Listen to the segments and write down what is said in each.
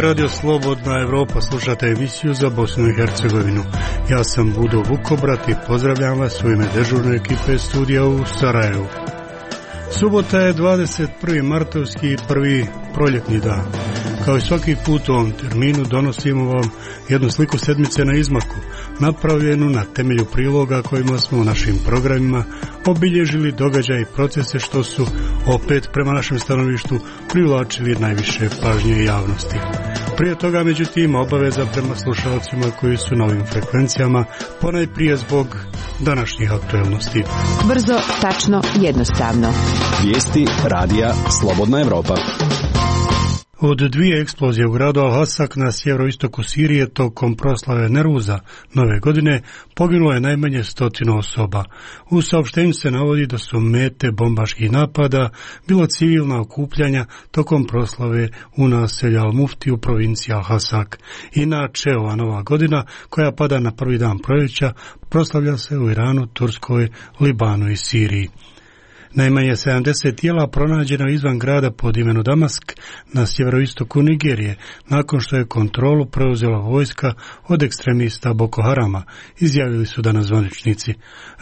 je Radio Slobodna Evropa, slušate emisiju za Bosnu i Hercegovinu. Ja sam Budo Vukobrat i pozdravljam vas u ime dežurne ekipe studija u Sarajevu. Subota je 21. martovski, prvi proljetni dan. Kao i svaki put u ovom terminu donosimo vam jednu sliku sedmice na izmaku, napravljenu na temelju priloga kojima smo u našim programima obilježili događaje i procese što su opet prema našem stanovištu privlačili najviše pažnje javnosti. Prije toga, međutim, obaveza prema slušalcima koji su na ovim frekvencijama, ponajprije zbog današnjih aktuelnosti. Brzo, tačno, jednostavno. Vijesti radija Slobodna Evropa. Od dvije eksplozije u gradu Al-Hasak na sjeveroistoku Sirije tokom proslave Neruza nove godine poginulo je najmanje 100 osoba. U saopštenju se navodi da su mete bombaških napada bilo civilna okupljanja tokom proslave u naselju Al-Mufti u provinciji Al-Hasak. Inače, ova nova godina, koja pada na prvi dan proljeća, proslavlja se u Iranu, Turskoj, Libanu i Siriji. Najmanje 70 tijela pronađeno izvan grada pod imenom Damask na sjeveroistoku Nigerije, nakon što je kontrolu preuzela vojska od ekstremista Boko Harama, izjavili su danas zvaničnici.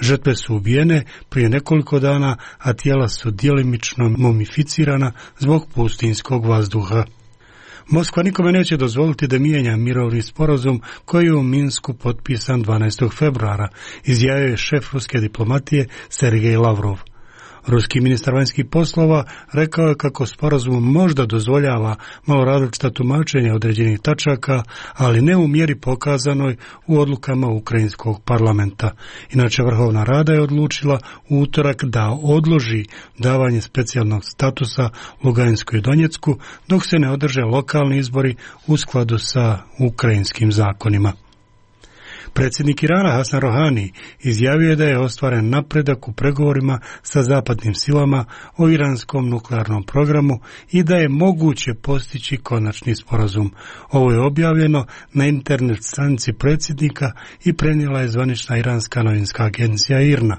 Žrtve su ubijene prije nekoliko dana, a tijela su djelimično mumificirana zbog pustinskog vazduha. Moskva nikome neće dozvoliti da mijenja mirovni sporazum koji je u Minsku potpisan 12. februara, izjavio je šef ruske diplomatije Sergej Lavrov. Ruski ministar vanjskih poslova rekao je kako sporazum možda dozvoljava malo različita tumačenja određenih tačaka, ali ne u mjeri pokazanoj u odlukama ukrajinskog parlamenta. Inače, Vrhovna Rada je odlučila u utorak da odloži davanje specijalnog statusa Luganskoj i Donjecku dok se ne održe lokalni izbori u skladu sa ukrajinskim zakonima. Predsjednik Irana Hasan Rohani izjavio je da je ostvaren napredak u pregovorima sa zapadnim silama o iranskom nuklearnom programu i da je moguće postići konačni sporazum. Ovo je objavljeno na internet stranici predsjednika i prenijela je zvanična iranska novinska agencija IRNA.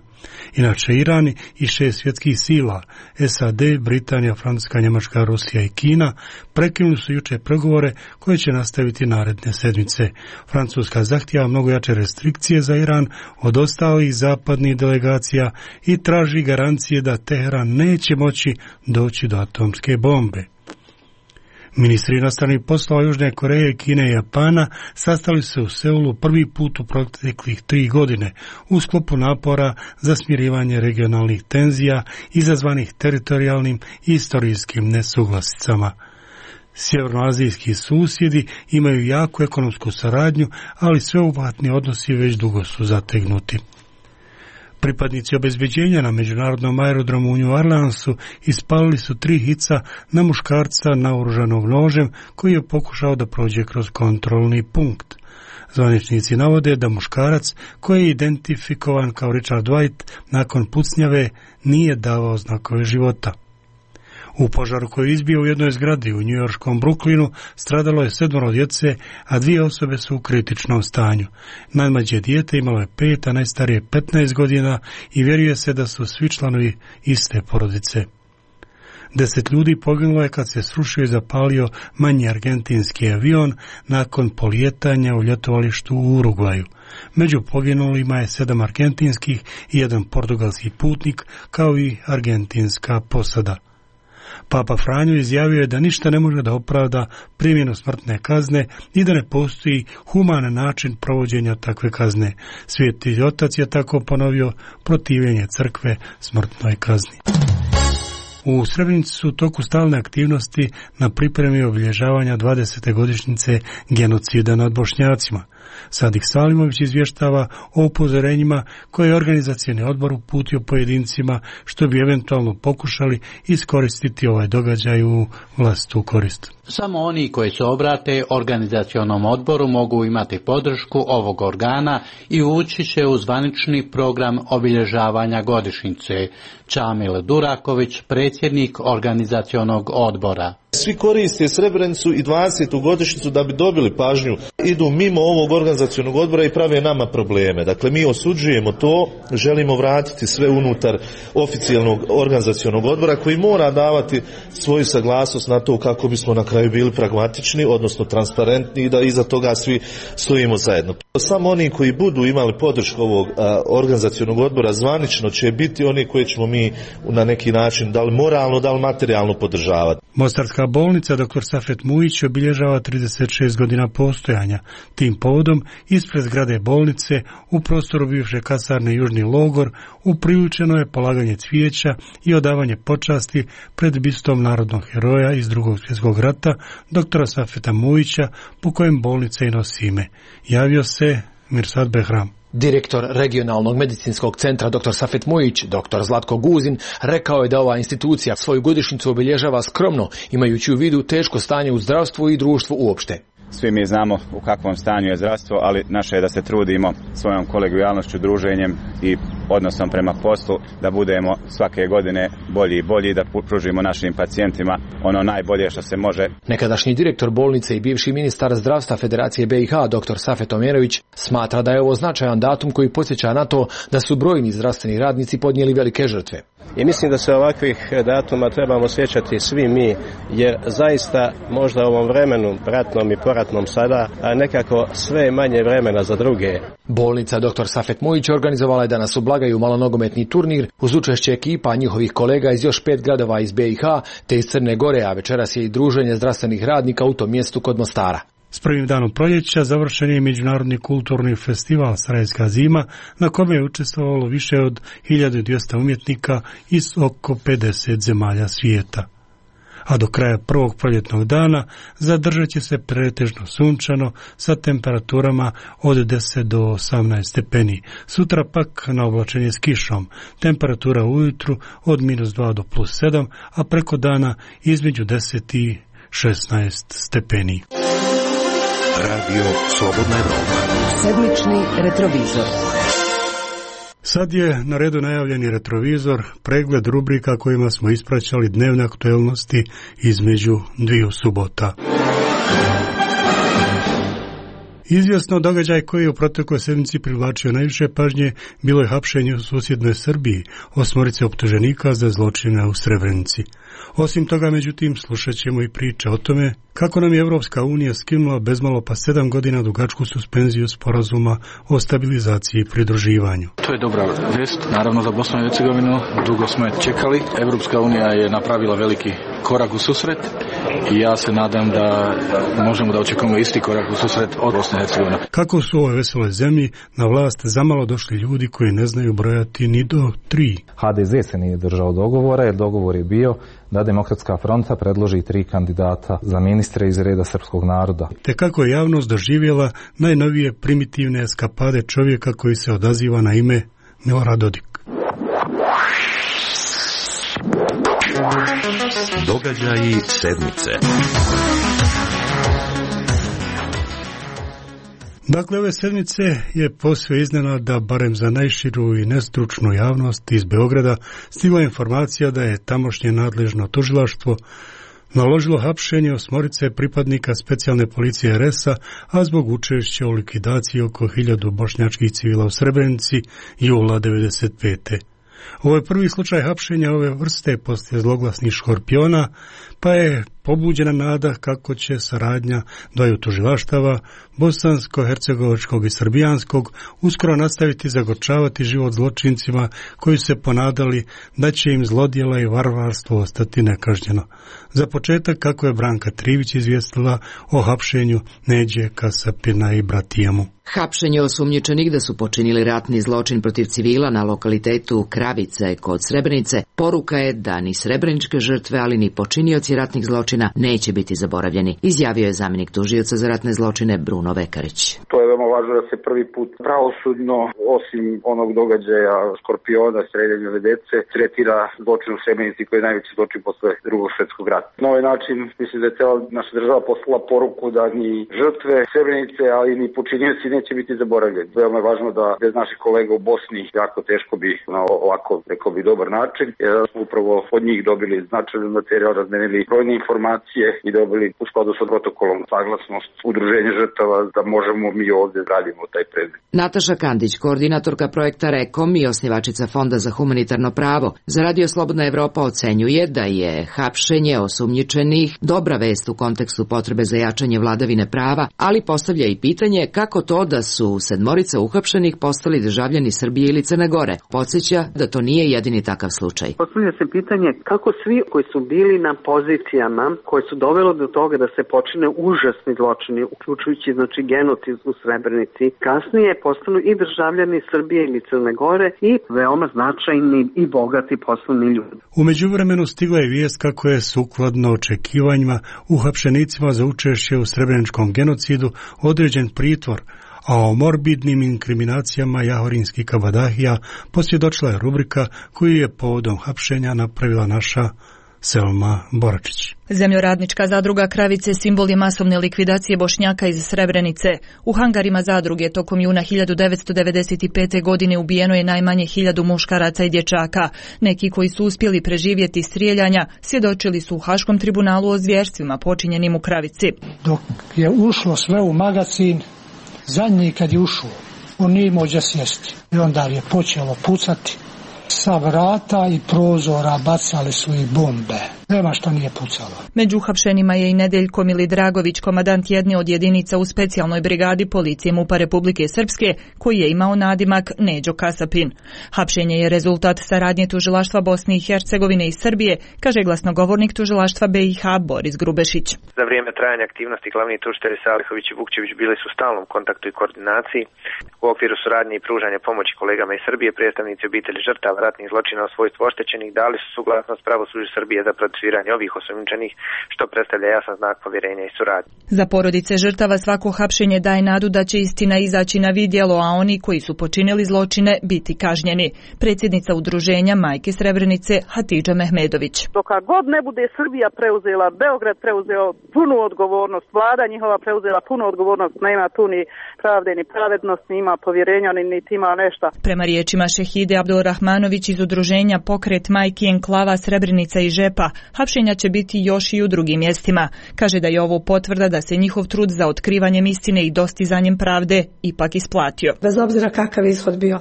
Inače, Iran i 6 svjetskih sila, SAD, Britanija, Francuska, Njemačka, Rusija i Kina, prekinuli su jučer pregovore koje će nastaviti naredne sedmice. Francuska zahtijeva mnogo jače restrikcije za Iran od ostalih zapadnih delegacija i traži garancije da Teheran neće moći doći do atomske bombe. Ministri inostranih poslova Južne Koreje, Kine i Japana sastali se u Seulu prvi put u proteklih 3 godine u sklopu napora za smirivanje regionalnih tenzija izazvanih teritorijalnim i istorijskim nesuglasicama. Sjevernoazijski susjedi imaju jaku ekonomsku saradnju, ali sveobuhvatni odnosi već dugo su zategnuti. Pripadnici obezbeđenja na međunarodnom aerodromu u New Orleansu ispalili su 3 hica na muškarca naoružanog nožem koji je pokušao da prođe kroz kontrolni punkt. Zvaničnici navode da muškarac, koji je identifikovan kao Richard White, nakon pucnjave nije davao znakove života. U požaru koji je izbio u jednoj zgradi u njujorškom Brooklynu stradalo je 7 djece, a 2 osobe su u kritičnom stanju. Najmlađe dijete imalo je 5, a najstarije 15 godina i vjeruje se da su svi članovi iste porodice. 10 ljudi poginulo je kad se srušio i zapalio manji argentinski avion nakon polijetanja u ljetovalištu u Urugvaju. Među poginulima je 7 argentinskih i 1 portugalski putnik, kao i argentinska posada. Papa Franjo izjavio je da ništa ne može da opravda primjenu smrtne kazne i da ne postoji human način provođenja takve kazne. Sveti Otac je tako ponovio protivljenje crkve smrtnoj kazni. U Srebrenici su u toku stalne aktivnosti na pripremi obilježavanja 20. godišnjice genocida nad Bošnjacima. Sadik Salimović izvještava o upozorenjima koje je organizacioni odbor uputio pojedincima što bi eventualno pokušali iskoristiti ovaj događaj u vlastitu korist. Samo oni koji se obrate organizacionom odboru mogu imati podršku ovog organa i ući će u zvanični program obilježavanja godišnjice. Čamil Duraković, predsjednik organizacionog odbora. Svi koriste Srebrenicu i 20. godišnjicu da bi dobili pažnju. Idu mimo ovog organizacionog odbora i prave nama probleme. Dakle, mi osuđujemo to, želimo vratiti sve unutar oficijalnog organizacionog odbora koji mora davati svoju saglasnost na to kako bismo na kraju bili pragmatični, odnosno transparentni i da iza toga svi stojimo zajedno. Samo oni koji budu imali podršku ovog organizacionog odbora zvanično će biti oni koji ćemo mi na neki način da li moralno, da li materijalno podržavati. Mostarska bolnica dr. Safet Mujić obilježava 36 godina postojanja. Tim povodom ispred zgrade bolnice u prostoru bivše kasarne Južni logor upriličeno je polaganje cvijeća i odavanje počasti pred bistom narodnog heroja iz Drugog svjetskog rata dr. Safeta Mujića, po kojem bolnica i nosi ime. Javio se Mirsad Behram. Direktor regionalnog medicinskog centra dr. Safet Mujić, dr. Zlatko Guzin, rekao je da ova institucija svoju godišnjicu obilježava skromno, imajući u vidu teško stanje u zdravstvu i društvu uopšte. Svi mi znamo u kakvom stanju je zdravstvo, ali naše je da se trudimo svojom kolegijalnošću, druženjem i odnosom prema poslu da budemo svake godine bolji i bolji, da pružimo našim pacijentima ono najbolje što se može. Nekadašnji direktor bolnice i bivši ministar zdravstva Federacije BiH dr. Safet Omerović smatra da je ovo značajan datum koji podsjeća na to da su brojni zdravstveni radnici podnijeli velike žrtve. I mislim da se ovakvih datuma trebamo sjećati svi mi, jer zaista možda u ovom vremenu, ratnom i poratnom sada, a nekako sve manje vremena za druge. Bolnica dr. Safet Mujić organizovala je danas u Blagaju malonogometni turnir uz učešće ekipa njihovih kolega iz još 5 gradova iz BiH te iz Crne Gore, a večeras je i druženje zdravstvenih radnika u tom mjestu kod Mostara. S prvim danom proljeća završen je Međunarodni kulturni festival Sarajevska zima, na kome je učestvovalo više od 1200 umjetnika iz oko 50 zemalja svijeta. A do kraja prvog proljetnog dana zadržat će se pretežno sunčano sa temperaturama od 10 do 18 stepeni. Sutra pak na oblačenje s kišom, temperatura ujutru od -2 do +7, a preko dana između 10 i 16 stepeni. Radio Slobodna Evropa. Sedmični retrovizor. Sad je na redu najavljeni retrovizor, pregled rubrika kojima smo ispraćali dnevne aktuelnosti između dviju subota. Izvjesno događaj koji je u protekloj sedmici privlačio najviše pažnje bilo je hapšenje u susjednoj Srbiji 8 optuženika za zločine u Srebrenici. Osim toga, međutim, slušat ćemo i priče o tome kako nam je Evropska unija skinula bezmalo pa 7 godina dugačku suspenziju sporazuma o stabilizaciji i pridruživanju. To je dobra vest, naravno za Bosnu i Hercegovinu, dugo smo je čekali. Evropska unija je napravila veliki korak u susret i ja se nadam da možemo da očekujemo isti korak u susret od Bosne i Hercegovine. Kako su u ovoj veseloj zemlji na vlast zamalo došli ljudi koji ne znaju brojati ni do 3. HDZ se nije držao dogovora, jer dogovor je bio da Demokratska fronta predloži 3 kandidata za ministre iz reda srpskog naroda. Te kako je javnost doživjela najnovije primitivne eskapade čovjeka koji se odaziva na ime Milorad Dodik. Događaji sedmice. Dakle, ove sedmice je posve iznenada, barem za najširu i nestručnu javnost iz Beograda, stigla informacija da je tamošnje nadležno tužilaštvo naložilo hapšenje 8 pripadnika specijalne policije RS-a, a zbog učešća u likvidaciji oko 1000 bošnjačkih civila u Srebrenici jula 1995. Ovo je prvi slučaj hapšenja ove vrste poslije zloglasnih škorpiona, pa je pobuđena nada kako će saradnja dvaju tužilaštava, bosansko-hercegovačkog i srbijanskog, uskoro nastaviti zagorčavati život zločincima koji se ponadali da će im zlodjela i varvarstvo ostati nekažnjeno. Za početak, kako je Branka Trivić izvijestila o hapšenju Neđe Kasapina i Bratijamu. Hapšenje osumnjičenih da su počinili ratni zločin protiv civila na lokalitetu Kravice kod Srebrenice poruka je da ni srebreničke žrtve, ali ni počinioci ratnih zločina neće biti zaboravljeni, izjavio je zamjenik tužioca za ratne zločine Bruno Vekarić. To je veoma važno da se prvi put pravosudno, osim onog događaja škorpiona, streljanja dece, tretira zločin u Srebrenici koji je najveći zločin posle Drugog svjetskog rata. Na ovaj način mislim da je cijela naša država poslala poruku da ni žrtve Srebrenice, ali ni počinioci neće biti zaboravljeni. Veoma je važno da bez naših kolega u Bosni jako teško bi na ovako, rekao bi, dobar način, jer smo upravo od njih dobili značajan materijal, razmenili brojne informacije informacije i dobili u skladu sa protokolom saglasnost udruženja žrtava da možemo mi ovdje radimo taj predmet. Nataša Kandić, koordinatorka projekta REKOM i osnivačica Fonda za humanitarno pravo, za Radio Slobodna Evropa ocenjuje da je hapšenje osumnjičenih dobra vest u kontekstu potrebe za jačanje vladavine prava, ali postavlja i pitanje kako to da su 7 uhapšenih postali državljani Srbije ili Crne Gore. Podsjeća da to nije jedini takav slučaj. Postavlja se pitanje kako svi koji su bili na pozicijama koje su dovelo do toga da se počine užasni zločini, uključujući genocid u Srebrenici, kasnije postanu i državljani Srbije ili Crne Gore i veoma značajni i bogati poslovni ljudi. U međuvremenu stigla je vijest kako je sukladno očekivanjima uhapšenicima za učešće u srebreničkom genocidu određen pritvor, a o morbidnim inkriminacijama jahorinskih kabadahija posvjedočila je rubrika koju je povodom hapšenja napravila naša Selma Boračić. Zemljoradnička zadruga Kravice simbol je masovne likvidacije Bošnjaka iz Srebrenice. U hangarima zadruge tokom juna 1995. godine ubijeno je najmanje 1000 muškaraca i dječaka. Neki koji su uspjeli preživjeti strijeljanja svjedočili su u Haškom tribunalu o zvjerstvima počinjenim u Kravici. Dok je ušlo sve u magazin, zadnji kad je ušao, on nije imao gdje sjesti. I onda je počelo pucati. Sa vrata i prozora bacali su i bombe. Nema što nije pucalo. Među uhapšenima je i Nedeljko Milidragović, komadant jedne od jedinica u specijalnoj brigadi policije MUP-a Republike Srpske, koji je imao nadimak Neđo Kasapin. Hapšenje je rezultat saradnje tužilaštva Bosne i Hercegovine i Srbije, kaže glasnogovornik tužilaštva BiH Boris Grubešić. Za vrijeme trajanja aktivnosti glavni tužitelji Salihović i Vukčević bili su u stalnom kontaktu i koordinaciji. U okviru suradnje i pružanja pomoći kolegama iz Srbije, predstavnici obitelji žrtava ratnih zločina u svojstvu oštećenih dali su suglasnost pravosuđu Srbije za procesuiranje ovih osumnjičenih, što predstavlja jasan znak povjerenja i suradnje. Za porodice žrtava svako hapšenje daje nadu da će istina izaći na vidjelo, a oni koji su počinili zločine biti kažnjeni. Predsjednica udruženja Majke Srebrenice Hatidža Mehmedović. Dok god ne bude Srbija preuzela, Beograd preuzeo punu odgovornost, vlada njihova preuzela punu odgovornost, nema tu ni pravde ni pravednost, ni ima povjerenja, niti ima nešto. Prema riječima Šehide Abdulrahmanović iz udruženja Pokret Majki Enklava Srebrenica i Žepa, hapšenja će biti još i u drugim mjestima. Kaže da je ovo potvrda da se njihov trud za otkrivanjem istine i dostizanjem pravde ipak isplatio. Bez obzira kakav ishod bio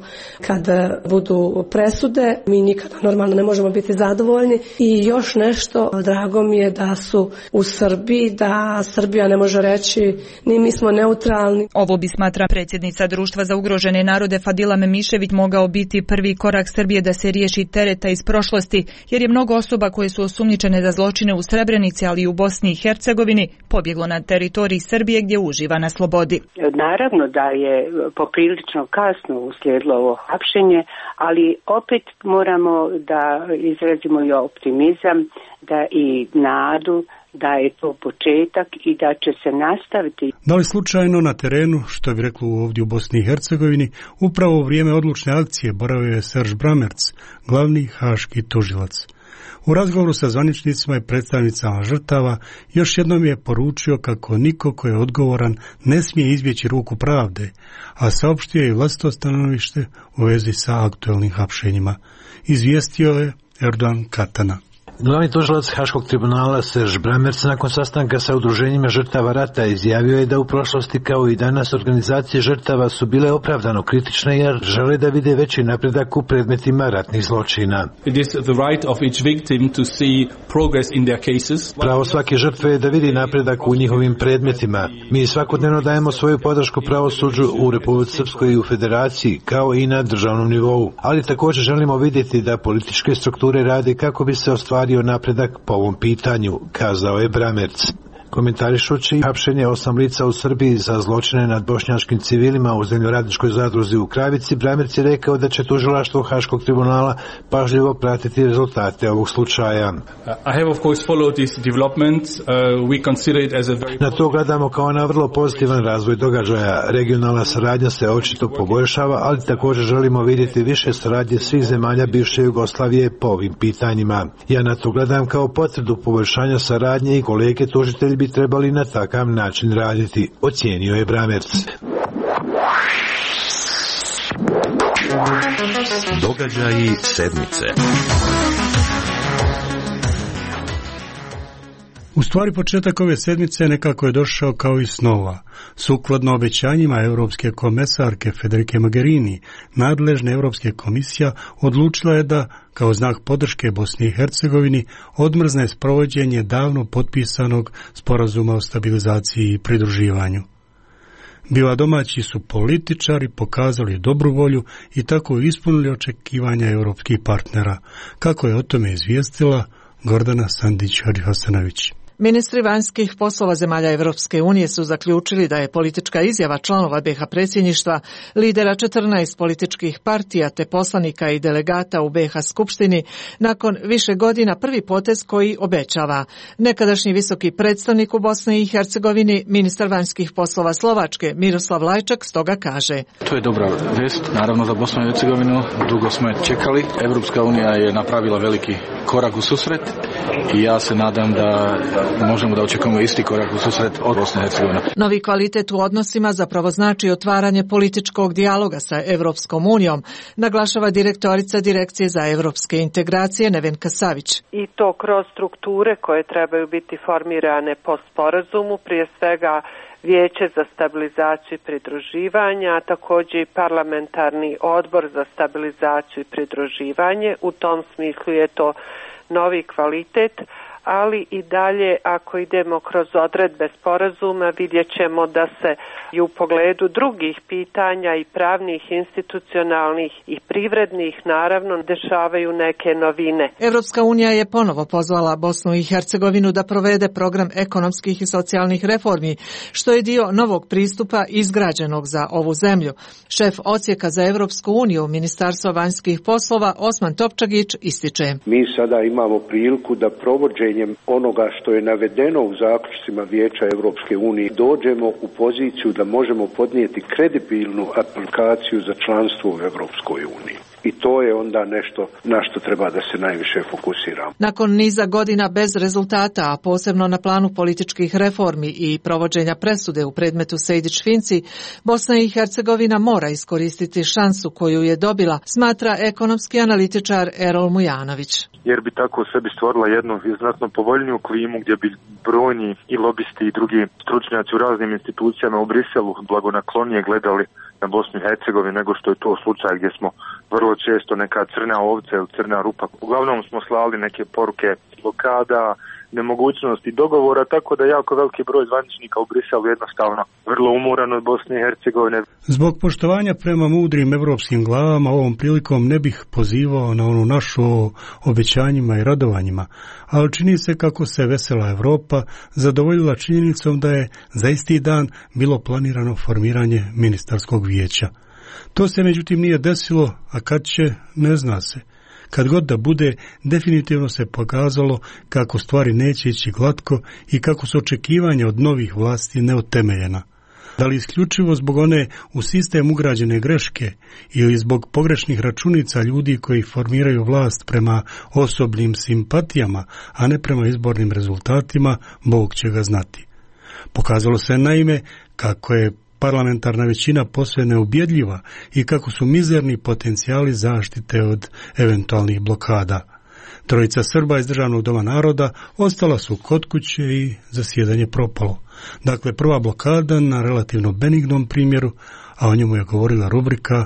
kad budu presude, mi nikada normalno ne možemo biti zadovoljni. I još nešto, drago mi je da su u Srbiji, da Srbija ne može reći ni mi smo neutralni. Ovo bi, smatra predsjednica Društva za ugrožene narode Fadila Memišević, mogao biti prvi korak Srbije da se riješi tereta iz prošlosti, jer je mnogo osoba koje su osumnjičene za zločine u Srebrenici, ali i u Bosni i Hercegovini, pobjeglo na teritoriji Srbije gdje uživa na slobodi. Naravno da je poprilično kasno uslijedilo ovo hapšenje, ali opet moramo da izrazimo i optimizam, da i nadu da je to početak i da će se nastaviti. Da li slučajno na terenu, što bi reklo ovdje u Bosni i Hercegovini, upravo u vrijeme odlučne akcije boravio je Serž Bramerc, glavni haški tužilac. U razgovoru sa zvaničnicima i predstavnicama žrtava još jednom je poručio kako niko ko je odgovoran ne smije izbjeći ruku pravde, a saopštio je vlastito stanovište u vezi sa aktuelnim hapšenjima. Izvijestio je Erdogan Katana. Glavni tužilac Haškog tribunala Serž Bramerc nakon sastanka sa udruženjima žrtava rata izjavio je da u prošlosti kao i danas organizacije žrtava su bile opravdano kritične jer žele da vide veći napredak u predmetima ratnih zločina. Pravo svake žrtve je da vidi napredak u njihovim predmetima. Mi svakodnevno dajemo svoju podršku pravosuđu u Republici Srpskoj i u Federaciji kao i na državnom nivou, ali također želimo vidjeti da političke strukture rade kako bi se ostvario napredak po ovom pitanju, kazao je Bramerc. Komentarišući hapšenje 8 lica u Srbiji za zločine nad bošnjačkim civilima u zemljoradničkoj zadruzi u Kravici, Bramerc je rekao da će tužilaštvo Haškog tribunala pažljivo pratiti rezultate ovog slučaja. Na to gledamo kao na vrlo pozitivan razvoj događaja. Regionalna saradnja se očito poboljšava, ali također želimo vidjeti više saradnje svih zemalja bivše Jugoslavije po ovim pitanjima. Ja na to gledam kao potvrdu poboljšanja saradnje i kolege tužitelji bi trebali na takav način raditi, ocijenio je Bramerc. Događaji sedmice. U stvari početak ove sedmice nekako je došao kao iz snova. Sukladno obećanjima Europske komesarke Federike Mogherini, nadležna Europska komisija odlučila je da, kao znak podrške Bosni i Hercegovini, odmrzne sprovođenje davno potpisanog sporazuma o stabilizaciji i pridruživanju. Biva domaći su političari pokazali dobru volju i tako ispunili očekivanja europskih partnera, kako je o tome izvijestila Gordana Sandić-Hadihasanović. Ministri vanjskih poslova zemalja Evropske unije su zaključili da je politička izjava članova BiH predsjedništva, lidera 14 političkih partija te poslanika i delegata u BiH skupštini nakon više godina prvi potez koji obećava. Nekadašnji visoki predstavnik u Bosni i Hercegovini, ministar vanjskih poslova Slovačke Miroslav Lajčak stoga kaže: To je dobra vest, naravno za Bosnu i Hercegovinu, dugo smo je čekali. Evropska unija je napravila veliki korak u susret i ja se nadam da možemo da očekujemo isti korak u susret od Bosne i Hercegovine. Novi kvalitet u odnosima zapravo znači otvaranje političkog dijaloga sa Evropskom unijom, naglašava direktorica Direkcije za evropske integracije Nevenka Savić. I to kroz strukture koje trebaju biti formirane po sporazumu, prije svega Vijeće za stabilizaciju i pridruživanje, a također i parlamentarni odbor za stabilizaciju i pridruživanje. U tom smislu je to novi kvalitet, ali i dalje ako idemo kroz odredbe sporazuma vidjet ćemo da se i u pogledu drugih pitanja i pravnih, institucionalnih i privrednih naravno dešavaju neke novine. Evropska unija je ponovo pozvala Bosnu i Hercegovinu da provede program ekonomskih i socijalnih reformi, što je dio novog pristupa izgrađenog za ovu zemlju. Šef odsjeka za Evropsku uniju Ministarstva vanjskih poslova Osman Topčagić ističe: Mi sada imamo priliku da provođenjem onoga što je navedeno u zaključcima Vijeća Evropske unije dođemo u poziciju da možemo podnijeti kredibilnu aplikaciju za članstvo u Evropskoj uniji. I to je onda nešto na što treba da se najviše fokusiramo. Nakon niza godina bez rezultata, a posebno na planu političkih reformi i provođenja presude u predmetu Sejdić-Finci, Bosna i Hercegovina mora iskoristiti šansu koju je dobila, smatra ekonomski analitičar Erol Mujanović. Jer bi tako u sebi stvorila jednu znatno povoljniju klimu gdje bi brojni i lobisti i drugi stručnjaci u raznim institucijama u Briselu blagonaklonije gledali na Bosnu i Hercegovinu nego što je to slučaj gdje smo vrlo često neka crna ovca ili crna rupa. Uglavnom smo slali neke poruke blokada, nemogućnosti dogovora, tako da jako veliki broj zvaničnika u Briselu jednostavno vrlo umoran od Bosne i Hercegovine. Zbog poštovanja prema mudrim evropskim glavama ovom prilikom ne bih pozivao na onu našu obećanjima i radovanjima, ali čini se kako se vesela Evropa zadovoljila činjenicom da je za isti dan bilo planirano formiranje ministarskog vijeća. To se međutim nije desilo, a kad će, ne zna se. Kad god da bude, definitivno se pokazalo kako stvari neće ići glatko i kako su očekivanja od novih vlasti neutemeljena. Da li isključivo zbog one u sistem ugrađene greške ili zbog pogrešnih računica ljudi koji formiraju vlast prema osobnim simpatijama, a ne prema izbornim rezultatima, Bog će ga znati. Pokazalo se naime kako je parlamentarna većina posve neubjedljiva i kako su mizerni potencijali zaštite od eventualnih blokada. Trojica Srba iz Državnog doma naroda ostala su kod kuće i zasjedanje propalo. Dakle, prva blokada na relativno benignom primjeru, a o njemu je govorila rubrika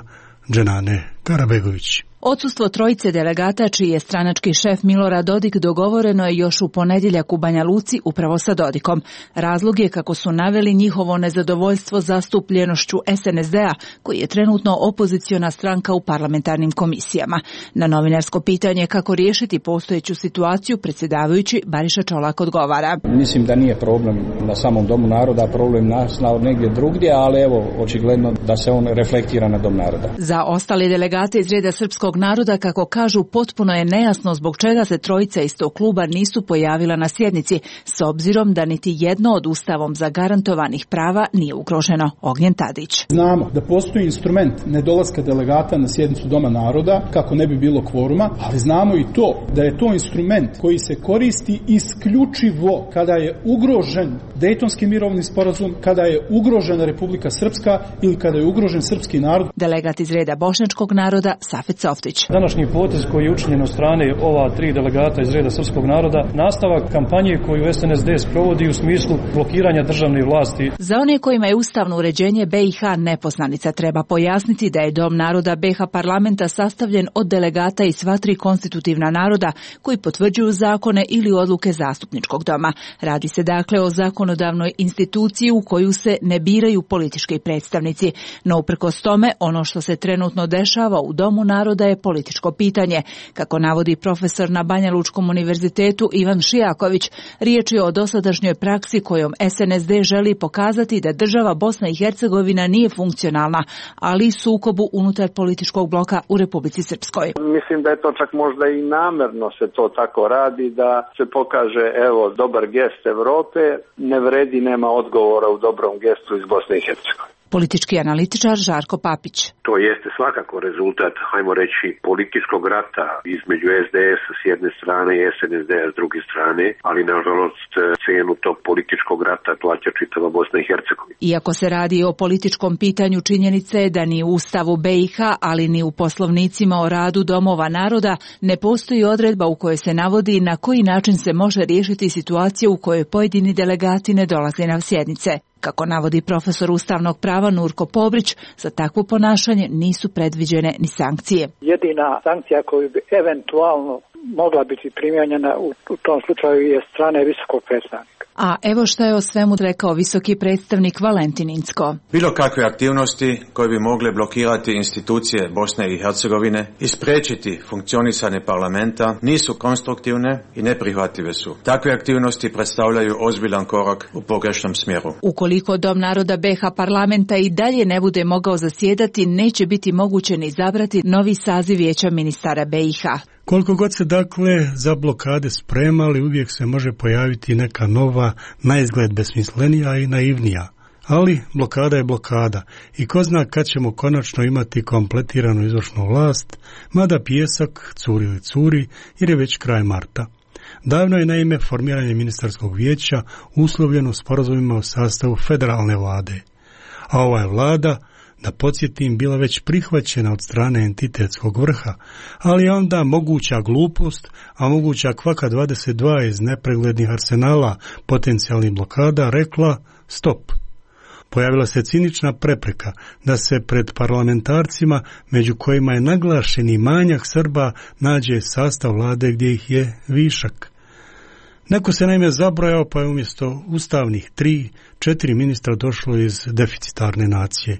Dženane Karabegović. Odsustvo trojice delegata, čiji je stranački šef Milorad Dodik, dogovoreno je još u ponedjeljak u Banja Luci upravo sa Dodikom. Razlog je, kako su naveli, njihovo nezadovoljstvo zastupljenošću SNSD-a, koji je trenutno opoziciona stranka u parlamentarnim komisijama. Na novinarsko pitanje kako riješiti postojeću situaciju, predsjedavajući Bariša Čolak odgovara: Mislim da nije problem na samom Domu naroda, problem nastao negdje drugdje, ali evo, očigledno da se on reflektira na Dom naroda. Za ostale delegate iz reda srpskog naroda, kako kažu, potpuno je nejasno zbog čega se trojica iz tog kluba nisu pojavila na sjednici, s obzirom da niti jedno od Ustavom zagarantovanih prava nije ugroženo. Ognjen Tadić: Znamo da postoji instrument nedolaska delegata na sjednicu Doma naroda kako ne bi bilo kvoruma, ali znamo i to da je to instrument koji se koristi isključivo kada je ugrožen Dejtonski mirovni sporazum, kada je ugrožena Republika Srpska ili kada je ugrožen srpski narod. Delegat iz reda bošnjačkog naroda Safet Softa Ljubotić. Današnji potez koji je učinjen od strane ova 3 delegata iz reda srpskog naroda, nastavak kampanje koju SNSD sprovodi u smislu blokiranja državne vlasti. Za one kojima je ustavno uređenje BiH nepoznanica, treba pojasniti da je Dom naroda BiH parlamenta sastavljen od delegata iz sva 3 konstitutivna naroda koji potvrđuju zakone ili odluke zastupničkog doma. Radi se dakle o zakonodavnoj instituciji u koju se ne biraju politički predstavnici. No uprkos tome, ono što se trenutno dešava u Domu naroda je političko pitanje. Kako navodi profesor na Banja Lučkom univerzitetu Ivan Šijaković, riječ je o dosadašnjoj praksi kojom SNSD želi pokazati da država Bosna i Hercegovina nije funkcionalna, ali i sukobu unutar političkog bloka u Republici Srpskoj. Mislim da je to čak možda i namerno se to tako radi, da se pokaže evo dobar gest Evrope, ne vredi, nema odgovora u dobrom gestu iz Bosne i Hercegovine. Politički analitičar Žarko Papić. To jeste svakako rezultat, hajmo reći, političkog rata između SDS s jedne strane i SNSD-a s druge strane, ali nažalost cenu tog političkog rata plaća čitava Bosna i Hercegovina. Iako se radi o političkom pitanju, činjenica je da ni u Ustavu BiH, ali ni u poslovnicima o radu domova naroda ne postoji odredba u kojoj se navodi na koji način se može riješiti situacija u kojoj pojedini delegati ne dolaze na sjednice. Kako navodi profesor ustavnog prava Nurko Pobrić, za takvo ponašanje nisu predviđene ni sankcije. Jedina sankcija koju bi eventualno mogla biti primijenjena u tom slučaju je strane visokog predstavnika. A evo šta je o svemu rekao visoki predstavnik Valentin Incko. Bilo kakve aktivnosti koje bi mogle blokirati institucije Bosne i Hercegovine i spriječiti funkcionisanje parlamenta nisu konstruktivne i neprihvatljive su. Takve aktivnosti predstavljaju ozbiljan korak u pogrešnom smjeru. Ukoliko Dom naroda BiH parlamenta i dalje ne bude mogao zasjedati, neće biti moguće ni izabrati novi saziv vijeća ministara BiH. Koliko god se dakle za blokade spremali, uvijek se može pojaviti neka nova, naizgled besmislenija i naivnija. Ali blokada je blokada i ko zna kad ćemo konačno imati kompletiranu izvršnu vlast, mada pijesak curi ili curi jer je već kraj marta. Davno je naime formiranje ministarskog vijeća uslovljeno sporazumima o sastavu federalne vlade. A ova je vlada, da podsjetim, bila već prihvaćena od strane entitetskog vrha, ali onda moguća glupost, a moguća kvaka 22 iz nepreglednih arsenala potencijalnih blokada rekla stop. Pojavila se cinična prepreka da se pred parlamentarcima, među kojima je naglašeni manjak Srba, nađe sastav vlade gdje ih je višak. Neko se naime zabrojao, pa je umjesto ustavnih 3-4 ministra došlo iz deficitarne nacije.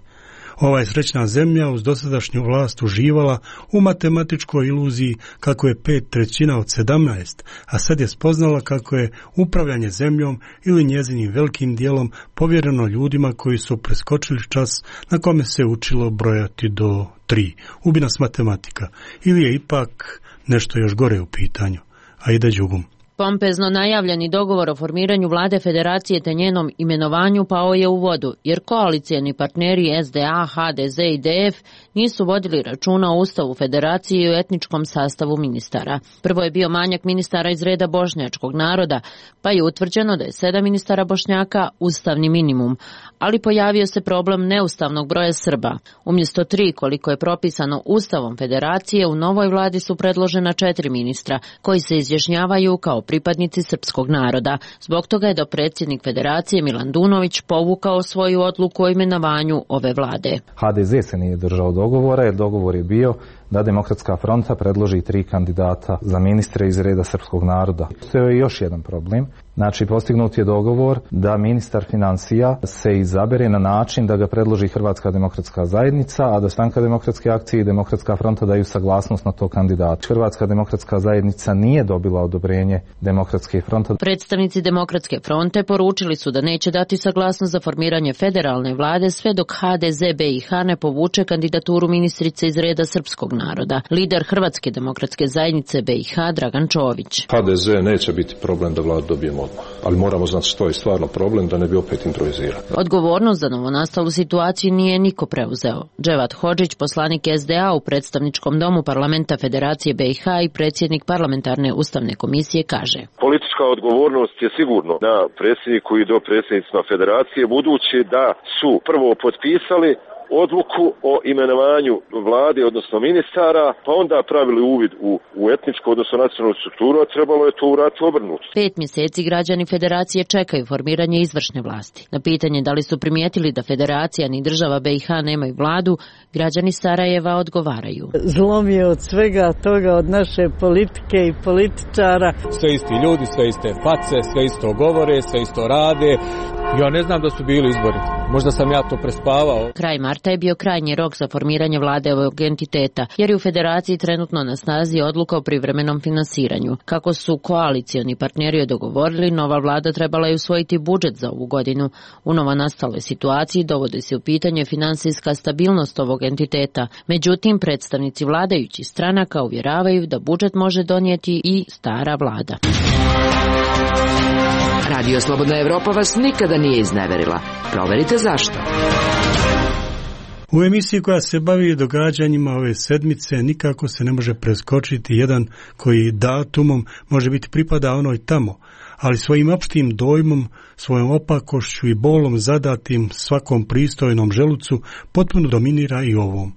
Ova je srećna zemlja uz dosadašnju vlast uživala u matematičkoj iluziji kako je 5/3 od 17, a sad je spoznala kako je upravljanje zemljom ili njezinim velikim dijelom povjereno ljudima koji su preskočili čas na kome se učilo brojati do 3. Ubi nas matematika. Ili je ipak nešto još gore u pitanju. A ide đugum. Pompezno najavljeni dogovor o formiranju vlade federacije te njenom imenovanju pao je u vodu, jer koalicijeni partneri SDA, HDZ i DF nisu vodili računa o Ustavu federacije i o etničkom sastavu ministara. Prvo je bio manjak ministara iz reda bošnjačkog naroda, pa je utvrđeno da je 7 ministara Bošnjaka ustavni minimum, ali pojavio se problem neustavnog broja Srba. Umjesto 3 koliko je propisano Ustavom federacije, u novoj vladi su predložena 4 ministra koji se izjašnjavaju kao pripadnici srpskog naroda. Zbog toga je dopredsjednik federacije Milan Dunović povukao svoju odluku o imenovanju ove vlade. HDZ se nije držao dogovora, jer dogovor je bio da Demokratska fronta predloži 3 kandidata za ministre iz reda srpskog naroda. To je još jedan problem. Znači, postignut je dogovor da ministar financija se izabere na način da ga predloži Hrvatska demokratska zajednica, a da Stranka demokratske akcije i Demokratska fronta daju saglasnost na to kandidata. Hrvatska demokratska zajednica nije dobila odobrenje Demokratske fronte. Predstavnici Demokratske fronte poručili su da neće dati saglasnost za formiranje federalne vlade sve dok HDZ BiH ne povuče kandidaturu ministrice iz reda srpskog naroda. Lider Hrvatske demokratske zajednice BiH Dragan Čović. HDZ neće biti problem da vladu dobijemo odmah, ali moramo znati što je stvarno problem da ne bi opet improvizirali. Odgovornost za novonastalu situaciju nije niko preuzeo. Dževat Hodžić, poslanik SDA u predstavničkom domu parlamenta Federacije BiH i predsjednik parlamentarne ustavne komisije kaže: Politička odgovornost je sigurno na predsjedniku i dopredsjednicima Federacije, budući da su prvo potpisali odluku o imenovanju vlade, odnosno ministara, pa onda pravili uvid u etničku, odnosno nacionalnu strukturu, a trebalo je to uraditi obrnuto. 5 mjeseci građani Federacije čekaju formiranje izvršne vlasti. Na pitanje da li su primijetili da Federacija ni država BiH nemaju vladu, građani Sarajeva odgovaraju. Zlom je od svega toga, od naše politike i političara. Sve isti ljudi, sve iste face, sve isto govore, sve isto rade. Ja ne znam da su bili izbori. Možda sam ja to prespavao. Kraj marta je bio krajnji rok za formiranje vlade ovog entiteta, jer je u Federaciji trenutno na snazi odluka o privremenom finansiranju. Kako su koalicioni partneri dogovorili, nova vlada trebala je usvojiti budžet za ovu godinu. U novonastaloj situaciji dovodi se u pitanje finansijska stabilnost ovog entiteta. Međutim, predstavnici vladajućih stranaka uvjeravaju da budžet može donijeti i stara vlada. Radio Slobodna Evropa vas nikada nije izneverila. Proverite zašto. U emisiji koja se bavi događanjima ove sedmice nikako se ne može preskočiti jedan koji datumom može biti pripada onoj tamo, ali svojim opštim dojmom, svojom opakošću i bolom zadatim svakom pristojnom želucu potpuno dominira i ovom.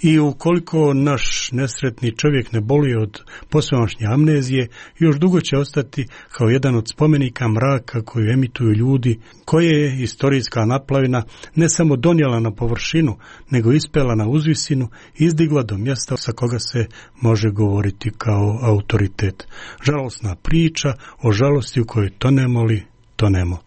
I ukoliko naš nesretni čovjek ne boli od posvemašnje amnezije, još dugo će ostati kao jedan od spomenika mraka koju emituju ljudi, koje je istorijska naplavina ne samo donijela na površinu, nego ispela na uzvisinu i izdigla do mjesta sa koga se može govoriti kao autoritet. Žalosna priča o žalosti u kojoj tonemo.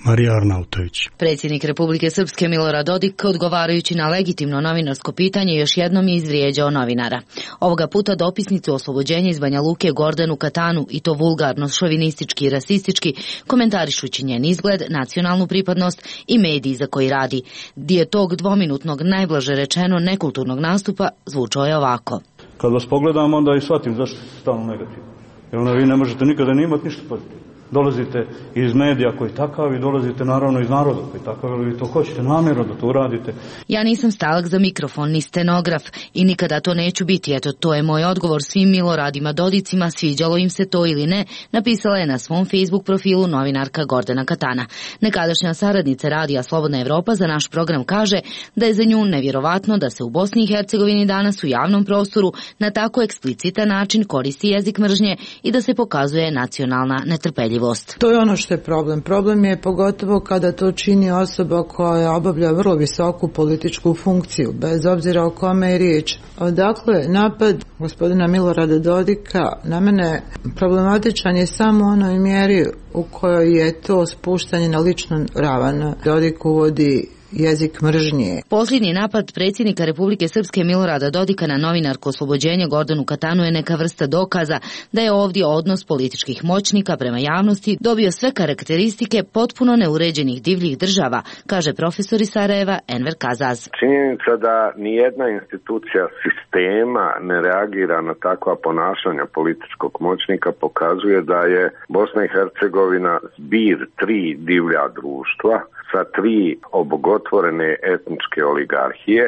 Marija Arnautović. Predsjednik Republike Srpske Milorad Dodik, odgovarajući na legitimno novinarsko pitanje, još jednom je izvrijeđao novinara. Ovoga puta dopisnicu oslobođenja iz Banja Luke Gordanu Katanu, i to vulgarno, šovinistički i rasistički, komentarišući njen izgled, nacionalnu pripadnost i mediji za koji radi. Dio tog dvominutnog, najblaže rečeno, nekulturnog nastupa zvučao je ovako. Kad vas pogledam, onda i shvatim zašto ste stalno negativni. Jer vi ne možete nikada ni imati ništa pozitivno. Dolazite iz medija koji takav i dolazite naravno iz naroda koji takav, ali vi to hoćete namjerno da to uradite. Ja nisam stalak za mikrofon, ni stenograf i nikada to neću biti. Eto, to je moj odgovor svim Miloradima Dodicima, sviđalo im se to ili ne, napisala je na svom Facebook profilu novinarka Gordana Katana. Nekadašnja saradnica radija Slobodna Evropa za naš program kaže da je za nju nevjerovatno da se u Bosni i Hercegovini danas u javnom prostoru na tako eksplicitan način koristi jezik mržnje i da se pokazuje nacionalna netrpeljivost. To je ono što je problem. Problem je pogotovo kada to čini osoba koja obavlja vrlo visoku političku funkciju, bez obzira o kome je riječ. Odakle napad gospodina Milorada Dodika na mene problematičan je samo u onoj mjeri u kojoj je to spuštanje na ličnu ravan. Dodik uvodi jezik mržnje. Posljednji napad predsjednika Republike Srpske Milorada Dodika na novinarku oslobođenja Gordanu Katanu je neka vrsta dokaza da je ovdje odnos političkih moćnika prema javnosti dobio sve karakteristike potpuno neuređenih divljih država, kaže profesor iz Sarajeva Enver Kazaz. Činjenica da nijedna institucija sistema ne reagira na takva ponašanja političkog moćnika pokazuje da je Bosna i Hercegovina zbir 3 divlja društva sa 3 obogotvorene etničke oligarhije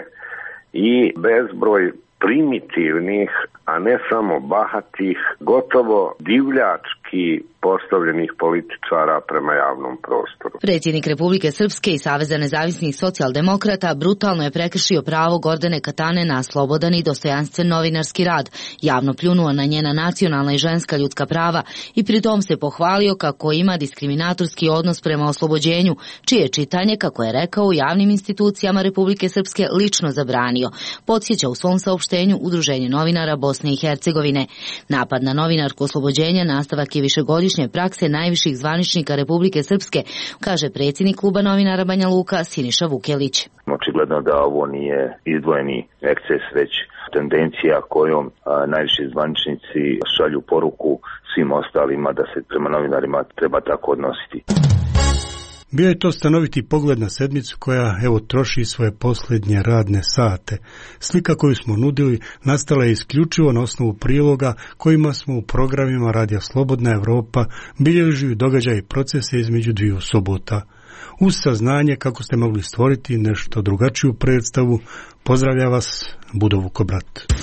i bezbroj primitivnih, a ne samo bahatih, gotovo divljački postavljenih političara prema javnom prostoru. Predsjednik Republike Srpske i Saveza nezavisnih socijaldemokrata brutalno je prekršio pravo Gordane Katane na slobodan i dostojanstven novinarski rad, javno pljunuo na njena nacionalna i ženska ljudska prava i pritom se pohvalio kako ima diskriminatorski odnos prema oslobođenju, čije čitanje, kako je rekao, u javnim institucijama Republike Srpske lično zabranio, podsjeća u svom saopštenju Udruženje novinara Bosne i Hercegovine. Napad na novinarku oslobođenja nastavak je višegodišnje prakse najviših zvaničnika Republike Srpske, kaže predsjednik kluba novinara Banja Luka Siniša Vukelić. Očigledno da ovo nije izdvojeni eksces, već tendencija kojom najviši zvaničnici šalju poruku svim ostalima da se prema novinarima treba tako odnositi. Bio je to stanoviti pogled na sedmicu koja, troši svoje posljednje radne sate. Slika koju smo nudili nastala je isključivo na osnovu priloga kojima smo u programima Radija Slobodna Evropa bilježili događaje i procese između 2 subota. Uz saznanje kako ste mogli stvoriti nešto drugačiju predstavu, pozdravlja vas Budo Vukobrat.